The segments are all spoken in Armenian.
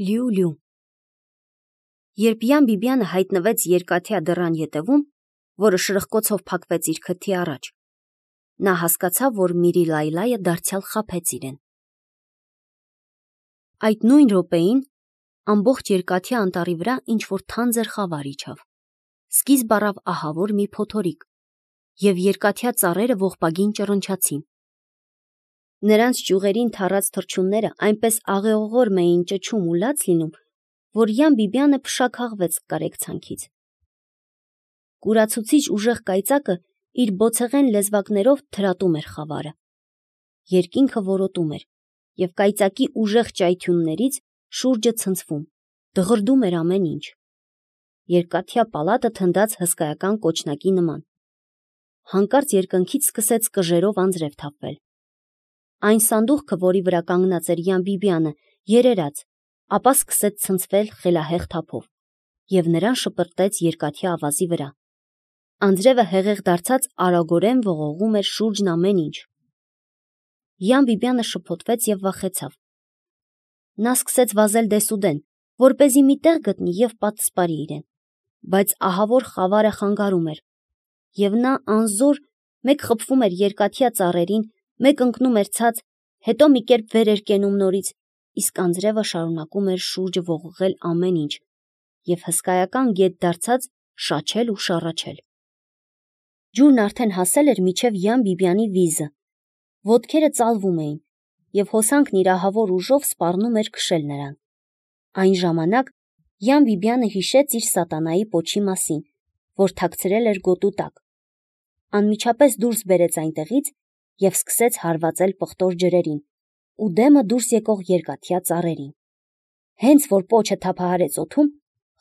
Լյու։ Երբ Յան Բիբյանը հայտնվեց երկաթյա դռան ետևում, որը շրխկոցով փակվեց իր քթի առաջ, նա հասկացավ, որ Միրի Լայլայը դարձյալ խաբեց իրեն։ Այդ նույն րոպեին ամբողջ երկաթյա անտառի վրա ինչ-որ թանձր խավար իջավ, սկիզբ առավ ահավոր մի փոթորիկ, և երկաթյա ծառերը ողբագին ճռնչացին։ Նրանց ճյուղերին թառած թռչունները այնպես աղեղողորմ էին ճչում ու լաց լինում, որ Յան Բիբյանը փշաքաղվեց կարեկցանքից։ Կուրացուցիչ ուժեղ կայծակը իր բոցեղեն լեզվակներով թրատում էր խավարը։ Երկինքը որոտում էր, և կայծակի ուժեղ ճայթյուններից շուրջը ցնցվում, դղրդում էր ամեն ինչ։ Երկաթյա պալատը թնդաց հսկայական կոճնակի նման։ Հանկարծ երկնքից սկսեց կժերով անձրև թափվել։ Այն սանդուղքը, որի վրա կանգնած էր Յան Բիբյանը, երերաց, ապա սկսեց ցնցվել խելահեղ թափով, և նրան շպրտեց երկաթյա ավազի վրա։ Անձրևը հեղեղ դարձած արագորեն ողողում էր շուրջն ամեն ինչ։ Յան Բիբյանը շփոթվեց և վախեցավ։ Նա սկսեց վազել դեսուդեն, որպեսզի մի տեղ գտնի և պատսպարի իրեն, բայց ահավոր խավարը խանգարում էր, և նա անզոր մեկ խփվում էր երկաթյա ծառերին, մեկ ընկնում էր ցած, հետո մի կերպ վեր էր կենում նորից, իսկ անձրևը շարունակում էր շուրջը ողողել ամեն ինչ և հսկայական գետ դարձած շաչել ու շառաչել։ Ջուրն արդեն հասել էր մինչև Յան Բիբյանի վիզը, ոտքերը ծալվում էին, և հոսանքն իր ահավոր ուժով սպառնում էր քշել նրան։ Այն ժամանակ Յան Բիբյանը հիշեց իր սատանայի պոչի մասին, որ թաքցրել էր գոտու տակ։ Անմիջապես դուրս բերեց այնտեղից և սկսեց հարվածել պղտոր ջրերին ու դեմը դուրս եկող երկաթյա ծառերին։ Հենց որ պոչը թափահարեց օդում,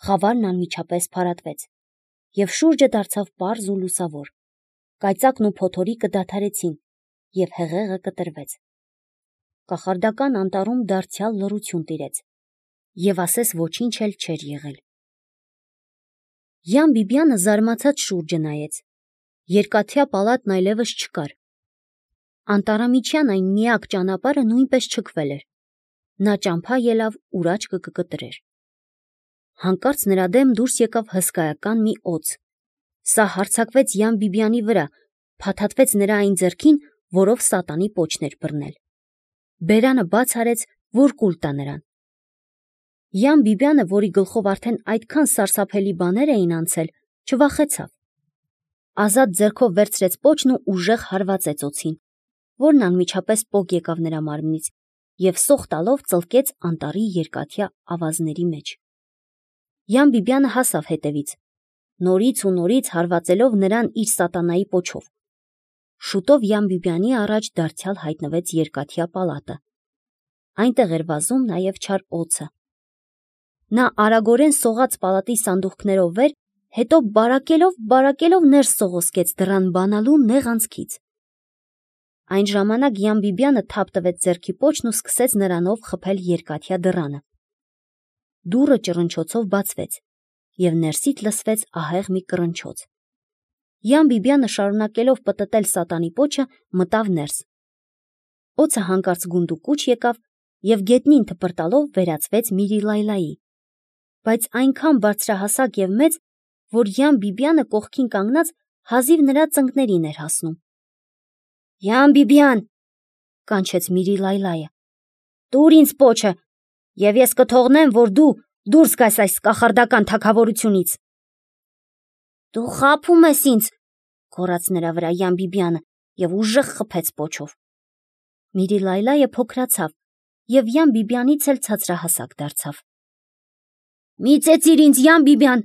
խավարն անմիջապես փարատվեց, և շուրջը դարձավ պարզ ու լուսավոր։ Կայծակն ու փոթորիկը դադարեցին, և հեղեղը կտրվեց։ Կախարդական անտառում դարձյալ լռություն տիրեց, և ասես ոչինչ էլ չէր եղել։ Յան Բիբյանը զարմացած շուրջը նայեց։ Երկաթյա պալատն այլևս չկար։ Անտառամիջյան այն միակ ճանապարհը նույնպես չքվել էր։ Նա ճամփա ելավ, ուր աչքը կկտրեր։ Հանկարծ նրա դեմ դուրս եկավ հսկայական մի օձ։ Սա հարձակվեց Յան Բիբյանի վրա, փաթաթվեց նրա այն ձեռքին, որով սատանի պոչն էր բռնել։ Բերանը բաց արեց, որ կուլ տա նրան։ Յան Բիբյանը, որի գլխով արդեն այդքան սարսափելի բաներ էին անցել, չվախեցավ։ Ազատ ձեռքով վերցրեց պոչն ու ուժեղ հարվածեց օձին, որն անմիջապես պոկ եկավ նրա մարմնից և սոխ տալով ծլկեց անտառի երկաթյա ավազների մեջ։ Յան Բիբյանը հասավ հետևից, նորից ու նորից հարվածելով նրան իր սատանայի պոչով։ Շուտով Յան Բիբյանի առաջ դարձյալ հայտնվեց երկաթյա պալատը։ Այնտեղ էր վազում նաև չար օձը։ Նա արագորեն սողաց պալատի սանդուղքներով վեր, հետո բարակելով ներս սողոսկեց դռան բանալու նեղ անցքից։ Այն ժամանակ Յան Բիբյանը թափ տվեց ձեռքի պոչն ու սկսեց նրանով խփել երկաթյա դռանը։ Դուռը ճռնչոցով բացվեց, և ներսից լսվեց ահեղ մի կռնչոց։ Յան Բիբյանը շարունակելով պտտել սատանի պոչը, մտավ ներս։ Օձը հանկարծ գունդուկուչ եկավ և գետնին թպրտալով վերածվեց Միրի Լայլայի, բայց այնքան բարձրահասակ և մեծ, որ Յան Բիբյանը կողքին կանգնած հազիվ նրա ծնկներին էր հասնում։ «Յան Բիբյան», կանչեց Միրի Լայլայը, «տուր ինձ պոչը, և ես կթողնեմ, որ դու դուրս գաս այս կախարդական թագավորությունից»։ «Դու խաբում ես ինձ», գոռաց նրա վրա Յան Բիբյանը և ուժեղ խփեց պոչով։ Միրի Լայլայը փոքրացավ և Յան Բիբյանից էլ ցածրահասակ դարձավ։ «Մի ծեծիր ինձ, Յան Բիբյան»,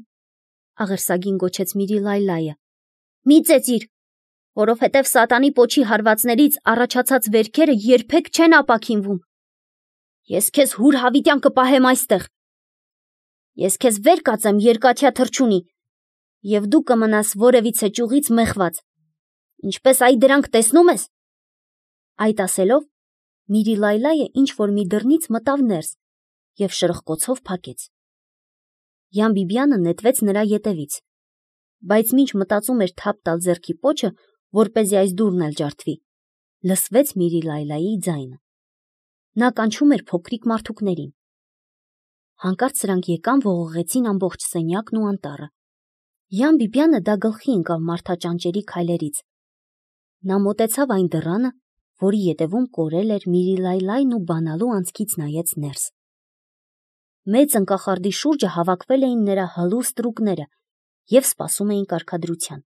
աղերսագին գոչեց Միրի Լայլայը, «մի ծեծիր, որովհետև սատանի պոչի հարվածներից առաջացած վերքերը երբեք չեն ապաքինվում։ Ես քեզ հուր հավիտյան կպահեմ այստեղ։ Ես քեզ վեր կածեմ երկաթյա թռչունի, և դու կմնաս որևիցե ճյուղից մեխված, ինչպես այ դրանք տեսնում ես»։ Այդ ասելով, Միրի Լայլայը ինչ-որ մի դռնից մտավ ներս և շրխկոցով փակեց։ Յան Բիբյանը նետվեց նրա ետևից, բայց մինչ մտածում էր թափ տալ ձեռքի պոչը, որպեսզի այս դուռն էլ ջարդվի, լսվեց Միրի Լայլայի ձայնը։ Նա կանչում էր փոքրիկ մարդուկներին։ Հանկարծ սրանք եկան, ողողեցին ամբողջ սենյակն ու անտառը։ Յան Բիբյանը դա գլխի ընկավ մարդաճանճերի քայլերից։ Նա մոտեցավ այն դռանը, որի ետևում կորել էր Միրիլայլայն ու բանալու անցքից նայեց ներս։ Մեծ ընկախարդի շուրջը հավաքվել էին նրա հալուստ տրուկները և սպասում էին կարգադրության։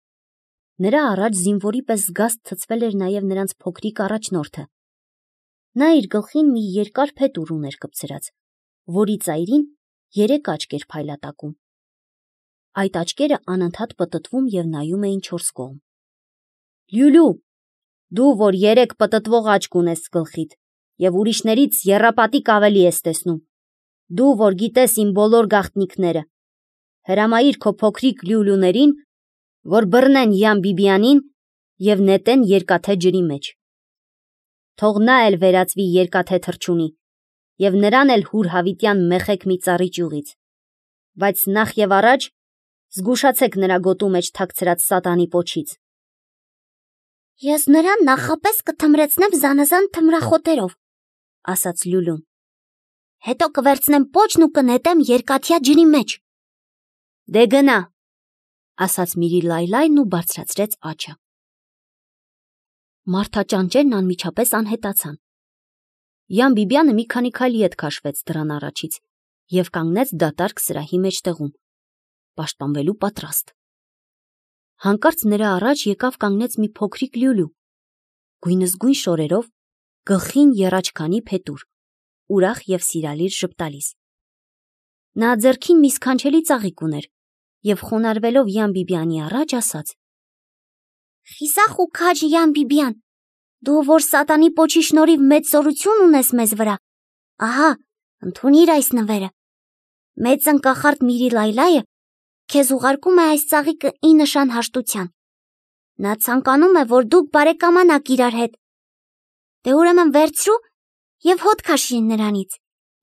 Նրա առաջ զինվորի պես զգաստ ցցվել էր նաև նրանց փոքրիկ առաջնորդը։ Նա իր գլխին մի երկար փետուր ուներ կպցրած, որի ծայրին 3 աչք էր փայլատակում։ Այդ աչքերը անընդհատ պտտվում և նայում էին 4 կողմ։ Լյուլու, դու, որ 3 պտտվող աչք ունես գլխիդ և ուրիշներից եռապատիկ ավելի ես տեսնում, դու, որ գիտես իմ բոլոր գաղտնիքները, հրամայիր քո փոքրիկ լյուլյուներին, որ բռնեն Յան Բիբյանին և նետեն երկաթե ջրի մեջ։ Թող նա էլ վերածվի երկաթե թռչունի և նրան էլ հուրհավիտյան մեխեք մի ծառի ճյուղից, բայց նախ և առաջ զգուշացեք նրա գոտու մեջ թաքցրած սատանի պոչից։ Ես նրան նախապես կթմրեցնեմ զանազան թմրախոտերով, ասաց Լյուլուն։ Հետո կվերցնեմ պոչն ու կնետեմ երկաթյա ջրի մեջ։ Դե գնա, ասաց Միրիլայլայն ու բարձրացրեց աջը։ Մարդաճանճերն անմիջապես անհետացան։ Յան Բիբյանը մի քանի քայլ ետ քաշվեց դռան առաջից և կանգնեց դատարկ սրահի մեջտեղում, պաշտպանվելու պատրաստ։ Հանկարծ նրա առաջ եկավ կանգնեց մի փոքրիկ լյուլու, գույնզգույն շորերով, գլխին եռաչքանի փետուր, ուրախ և սիրալիր ժպտալիս։ Նա ձեռքին մի սքանչելի ծաղիկ ուներ և խոնարհվելով Յան Բիբյանի առաջ ասաց. Խիսախ ու քաջ Յան Բիբյան, դու որ սատանի պոչի շնորհիվ մեծ զորություն ունես մեզ վրա, ահա, ընդունիր այս նվերը։ Մեծ ընկախարդ Միրիլայլայը քեզ ուղարկում է այս ծաղիկը ի նշան հաշտության։ Նա ցանկանում է, որ դուք բարեկամանաք իրար հետ։ Դե ուրեմն վերցրու և հոտ քաշիր նրանից,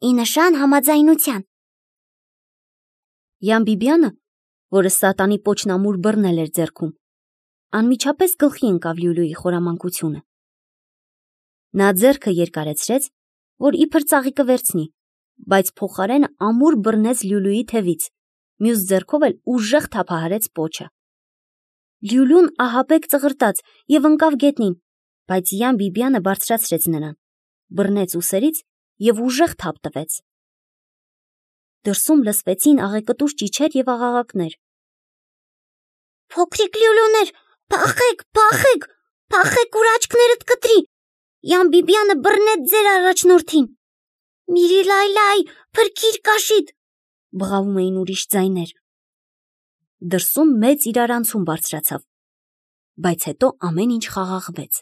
ի նշան համաձայնության։ Յան Բիբյանը, որը սատանի պոչն ամուր բռնել էր ձեռքում, անմիջապես գլխի ընկավ Լյուլուի խորամանկությունը։ Նա ձեռքը երկարեցրեց, որ իբր ծաղիկը վերցնի, բայց փոխարենը ամուր բռնեց Լյուլուի թևից, մյուս ձեռքով էլ ուժեղ թափահարեց պոչը։ Լյուլուն ահաբեկ ծղրտաց և ընկավ գետնին, բայց Յան Բիբյանը բարձրացրեց նրան, բռնեց ուսերից և ուժեղ թափ տվեց։ Դրսում լսվեցին աղեկտուր ճիչեր և աղաղակներ։ Փոքրիկ լյուլուներ, փախեք, փախեք, փախեք, ուր աչքներդ կտրի, Յան Բիբյանը բռնեց ձեր առաջնորդին։ Միրիլայլայ, փրկիր կաշիդ, բղավում էին ուրիշ ձայներ։ Դրսում մեծ իրարանցում բարձրացավ, բայց հետո ամեն ինչ խաղաղվեց։